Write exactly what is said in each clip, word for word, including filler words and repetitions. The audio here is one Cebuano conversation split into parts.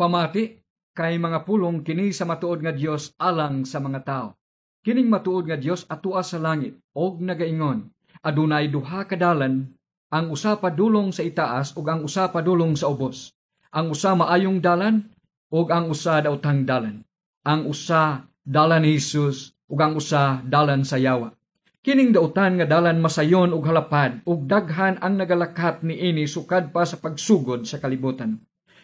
Pamati, kay mga pulong kini sa matuod nga Dios alang sa mga tao. Kining matuod nga Dios atua sa langit og nagaingon, adunay duha ka dalan, ang usa padulong sa itaas ug ang usa padulong sa ubos. Ang usa maayong dalan ug ang usa daotang dalan. Ang usa dalan ni Jesus ug ang usa dalan sa yawa. Kining dautan nga dalan masayon ug halapad ug daghan ang nagalakat niini sukad pa sa pagsugod sa kalibutan.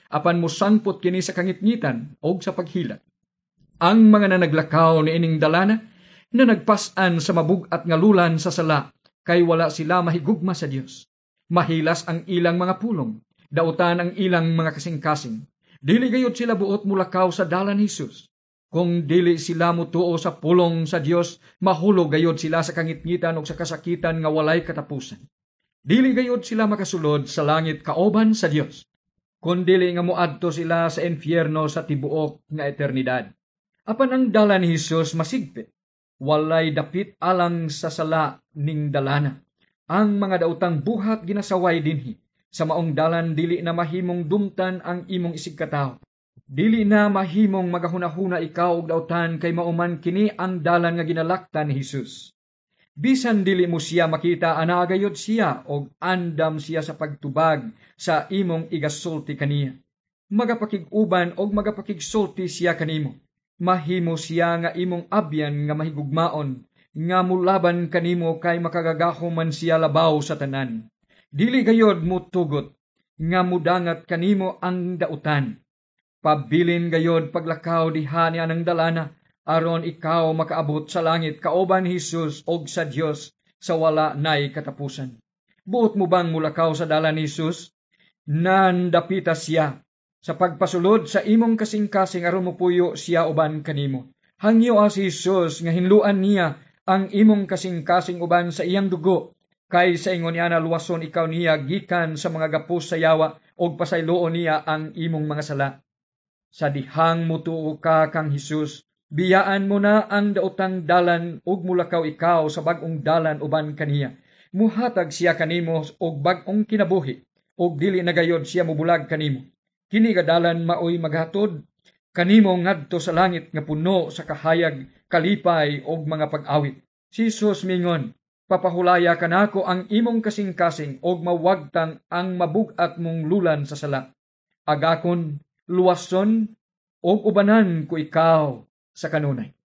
Apan mosangpot kini sa kangitngitan ug sa paghilat. Ang mga nanaglakaw niining dalana na nagpas-an sa mabug-at nga lulan sa sala kay wala sila mahigugma sa Dios. Mahilas ang ilang mga pulong, dautan ang ilang mga kasing-kasing. Dili gayud sila buot mulakaw sa dalan ni Jesus. Kung dili sila mutuo sa pulong sa Dios, mahulog gayud sila sa kangitngitan ug sa kasakitan nga walay katapusan. Dili gayud sila makasulod sa langit kauban sa Dios. Kun dili nga moadto sila sa impyerno sa tibuok nga eternidad. Apan ang dalan ni Jesus masigpit. Walay dapit alang sa sala ning dalana. Ang mga daotang buhat ginasaway dinhi. Sa maong dalan dili na mahimong dumtan ang imong isigkatawo. Dili na mahimong magahuna-huna ikaw og dautan kay mao man kini ang dalan nga ginalaktan ni Jesus. Bisan dili mo siya makita, anaa gayud siya og andam siya sa pagtubag sa imong igasulti kaniya. Magapakig-uban og magapakigsulti siya kanimo. Mahimo siya nga imong abyan nga mahigugmaon, nga mulaban kanimo kay makagagahom man siya labaw sa tanan. Dili gayod mutugot nga mudangat kanimo ang dautan. Pabilin gayod paglakaw diha niya ng dalana, aron ikaw makaabot sa langit kauban ni Jesus og sa Dios sa wala nay katapusan. Buot mo bang mulakaw sa dalan ni Jesus? Nandapita siya sa pagpasulod sa imong kasing-kasing aron mopuyo siya uban kanimo. Hangyo si Jesus nga hinluan niya ang imong kasing-kasing uban sa iyang dugo. Kay sa ingon niya na luwason ikaw niya gikan sa mga gapos sa yawa og pasayloon niya ang imong mga sala. Sa dihang mutuo ka kang Hesus, biyaan mo na ang daotang dalan ug mulakaw ikaw sa bag-ong dalan uban kaniya. Muhatag siya kanimo og bag-ong kinabuhi ug dili na gayod siya mubulag kanimo. Kini nga dalan maoy maghatod kanimo ngadto sa langit nga puno sa kahayag, kalipay ug mga pag-awit. Si Jesus mingon, papahulaya kanako ang imong kasing-kasing ug mawagtang ang mabug-at mong lulan sa sala. Agakon, luwason, ug ubanan ko ikaw sa kanunay.